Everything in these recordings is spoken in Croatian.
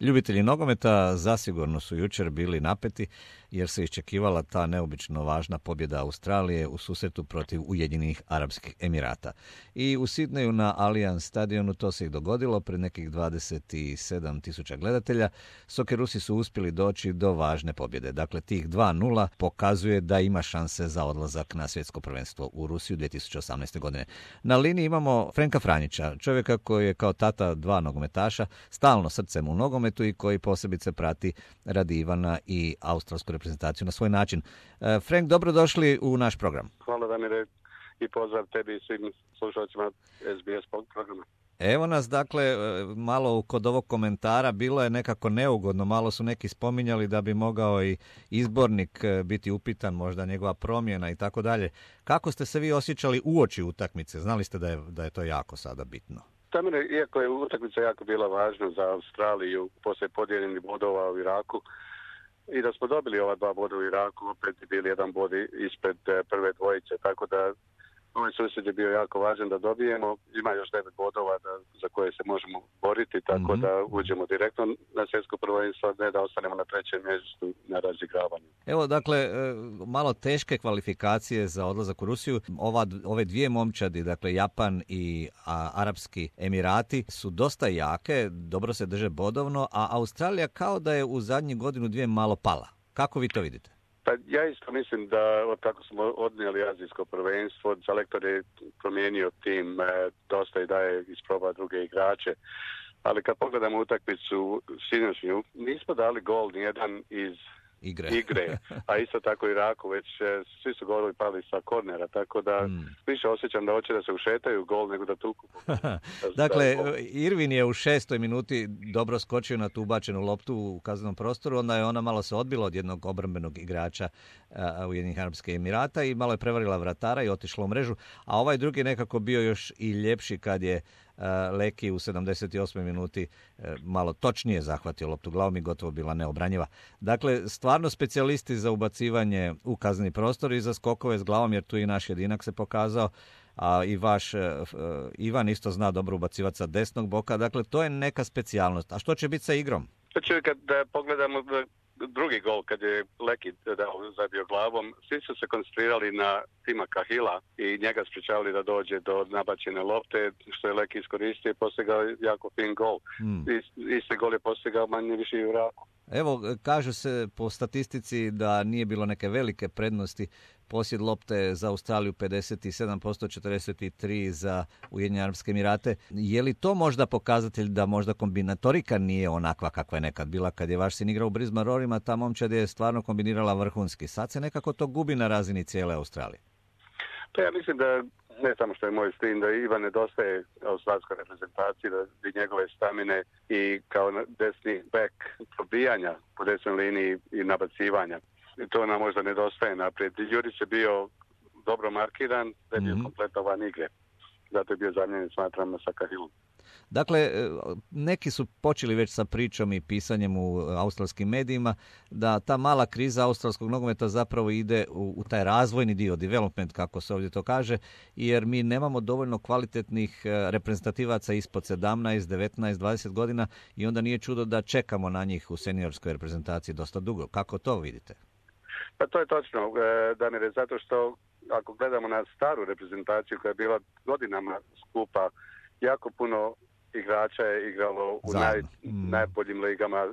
Ljubitelji nogometa zasigurno su jučer bili napeti jer se iščekivala ta neobično važna pobjeda Australije u susretu protiv Ujedinjenih Arapskih Emirata. I u Sidneju na Allianz stadionu to se i dogodilo pred nekih 27.000 gledatelja. Sokerusi su uspjeli doći do važne pobjede. Dakle, tih 2:0 pokazuje da ima šanse za odlazak na svjetsko prvenstvo u Rusiju 2018. godine. Na liniji imamo Frenka Franjića, čovjeka koji je kao tata 2 nogometaša, stalno srcem u nogometu i koji posebice prati radi Ivana i australsku reprezentaciju na svoj način. Frank, dobrodošli u naš program. Hvala Damire i pozdrav tebi i svim slušalcima SBS programa. Evo nas, dakle, malo kod ovog komentara bilo je nekako neugodno, malo su neki spominjali da bi mogao i izbornik biti upitan, možda njegova promjena i tako dalje. Kako ste se vi osjećali uoči utakmice? Znali ste da je to jako sada bitno? Damire, iako je utakmica jako bila važna za Australiju poslije podijeljenih bodova u Iraku i da smo dobili ova 2 boda u Iraku, opet je bili 1 bod ispred prve dvojice, tako da ovaj susjed je bio jako važan da dobijemo. Ima još 9 bodova za koje se možemo boriti, tako da uđemo direktno na svjetsko prvenstvo, ne da ostanemo na 3. mjestu na razigravanju. Evo, dakle, malo teške kvalifikacije za odlazak u Rusiju. Ove 2 momčadi, dakle Japan i Arapski Emirati, su dosta jake, dobro se drže bodovno, a Australija kao da je u zadnjih godinu 2 malo pala. Kako vi to vidite? Pa ja isto mislim da od kako smo odnijeli azijsko prvenstvo, selektor je promijenio tim dosta i daje isproba druge igrače. Ali kad pogledamo utakmicu sinoćnju, nismo dali gol nijedan iz igre, a isto tako i Iraku, već svi su golovi pali sa kornera, tako da više osjećam da hoće da se ušetaju gol nego da tuku. Dakle, Irvin je u 6. minuti dobro skočio na tu ubačenu loptu u kaznenom prostoru, onda je ona malo se odbila od jednog obrambenog igrača Ujedinjenih Arapskih Emirata i malo je prevarila vratara i otišla u mrežu, a ovaj drugi nekako bio još i ljepši kad je Leki u 78. minuti malo točnije zahvatio loptu glavom i gotovo bila neobranjiva. Dakle, stvarno specijalisti za ubacivanje u kazneni prostor i za skokove s glavom, jer tu i naš jedinak se pokazao, a i vaš Ivan isto zna dobro ubacivati sa desnog boka. Dakle, to je neka specijalnost. A što će biti sa igrom? Kad pogledamo drugi gol, kad je Leki zabio glavom, svi su se koncentrirali na Tima Kahila i njega sprečavali da dođe do nabačene lopte, što je Leki iskoristio i postigao jako fin gol. Isti gol je postigao manje više i u Iraku. Evo, kažu se po statistici da nije bilo neke velike prednosti. Posjed lopte za Australiju 57%, 43% za Ujedinjene Arapske Emirate. Je li to možda pokazatelj da možda kombinatorika nije onakva kakva je nekad bila kad je vaš sin igrao u Brisbane Roarima, ta momčad je stvarno kombinirala vrhunski. Sad se nekako to gubi na razini cijele Australije. Pa ja mislim da ne samo što je moj sin, da Ivan nedostaje australskoj reprezentaciji, da njegove stamine i kao desni bek probijanja po desnoj liniji i nabacivanja. I to nam možda nedostaje naprijed. Jurić je bio dobro markiran, da je bio kompletovan igre. Zato je bio zamijenjen, smatram, sa Kahilom. Dakle, neki su počeli već sa pričom i pisanjem u australskim medijima da ta mala kriza australskog nogometa zapravo ide u taj razvojni dio, development, kako se ovdje to kaže, jer mi nemamo dovoljno kvalitetnih reprezentativaca ispod 17, 19, 20 godina i onda nije čudo da čekamo na njih u seniorskoj reprezentaciji dosta dugo. Kako to vidite? Pa to je točno, Damire, zato što ako gledamo na staru reprezentaciju koja je bila godinama skupa, jako puno igrača je igralo u najboljim ligama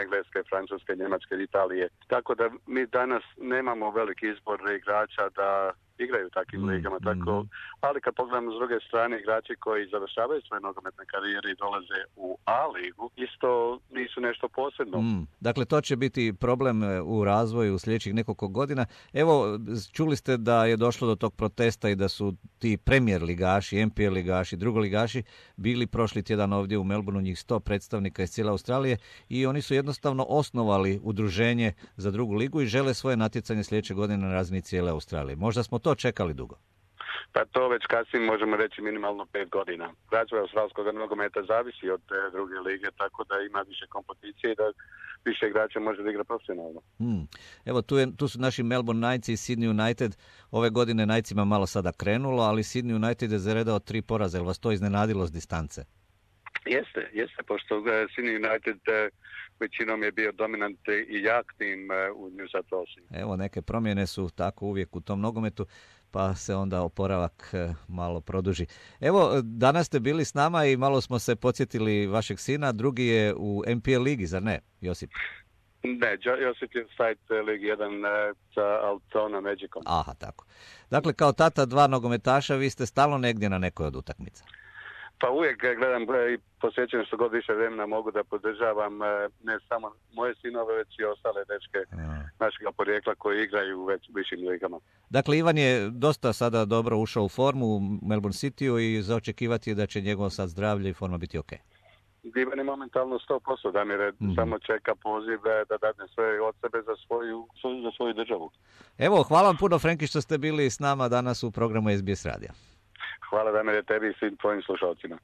Engleske, Francuske, Njemačke, Italije. Tako da mi danas nemamo veliki izbor igrača da igraju u takvim ligama. Tako, ali kad pogledamo s druge strane igrači koji završavaju svoje nogometne karijere i dolaze u A ligu, isto nisu nešto posebno. Dakle, to će biti problem u razvoju u sljedećih nekoliko godina. Evo, čuli ste da je došlo do tog protesta i da su ti premier ligaši, NPL ligaši, drugoligaši bili prošli tjedan ovdje u Melbourneu, njih 100 predstavnika iz cijele Australije i oni su jednostavno osnovali udruženje za drugu ligu i žele svoje natjecanje sljedeće godine na razini cijele Australije. Možda smo to čekali dugo. Pa to već kasnije možemo reći minimalno 5 godina. Razvoj australskog nogometa zavisi od druge lige, tako da ima više kompeticije i da više igrača može da igra profesionalno. Evo, tu su naši Melbourne Knights i Sydney United. Ove godine Knightsima malo sada krenulo, ali Sydney United je zaredao 3 poraza. Je li vas to iznenadilo s distance? Jeste, pošto Sydney United većinom je bio dominant i jak tim u New South Walesu. Evo, neke promjene su tako uvijek u tom nogometu, pa se onda oporavak malo produži. Evo, danas ste bili s nama i malo smo se podsjetili vašeg sina, drugi je u MPL ligi, zar ne, Josip? Ne, Josip je Site Ligi 1 sa Altona Magicom. Aha, tako. Dakle, kao tata dva nogometaša, vi ste stalno negdje na nekoj od utakmica. Pa uvijek gledam i posjećam što god više vremena mogu da podržavam ne samo moje sinove, već i ostale dečke našega porijekla koji igraju u višim ligama. Dakle, Ivan je dosta sada dobro ušao u formu u Melbourne Cityu i za očekivati je da će njegovo sad zdravlje i forma biti ok. Ivan je momentalno 100%, Damire, samo čeka poziv da dadne sve od sebe za svoju državu. Evo, hvala vam puno, Frenki, što ste bili s nama danas u programu SBS radija. Hvala, Damire, tebi i svim tvojim slušalcima.